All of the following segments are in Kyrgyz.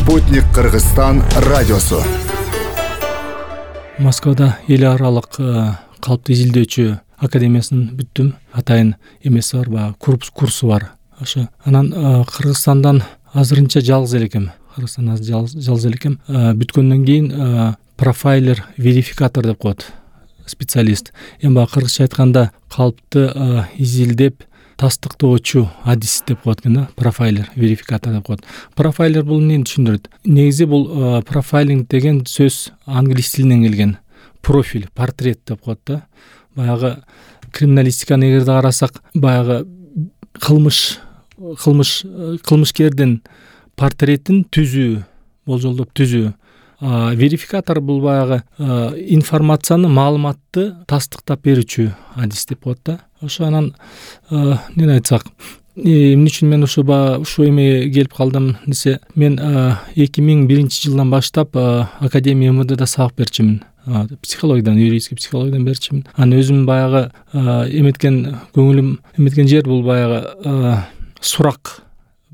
Спутник Кыргызстан радиосу. Москвада эл аралык калпты изилдөөчү академиясын бүттүм. Атайын эмеси бар, баягы курсу бар. Ошо анан Кыргызстандан азырынча жалгыз элекем. Бүткөндөн кийин профайлер, верификатор деп коет специалист. Эми баягы кыргызча айтканда калпты изилдеп тастыктоочу адис деп коет экен да. Профайлер, верификатор деп коет. Профайлер бул эмнени түшүндүрөт? Негизи бул профайлинг деген сөз англис тилинен келген. Профиль, портрет деп коет да. Баягы криминалистиканы эгерде карасак, баягы кылмышкердин портретин түзүү, болжолдоп түзүү. Верификатор бул баягы информацияны, маалыматты тастыктап берүүчү адис деп коет да. Ошо анан эмне айтсак, эмне үчүн мен ушу эмеге келип калдым десе, мен 2001-жылдан баштап Академия ММДда сабак берчимин. Психологиядан, юридический психологиядан берчимин. Анан өзүм баягы көңүлүм эметкен жер бул баягы сурак,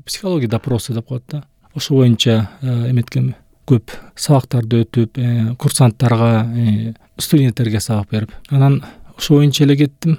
психология допросы деп коет да. Ошо боюнча эметкем, көп сабактарды өтүп, курсанттарга, студенттерге сабак берип, анан ошо боюнча эле кеттим.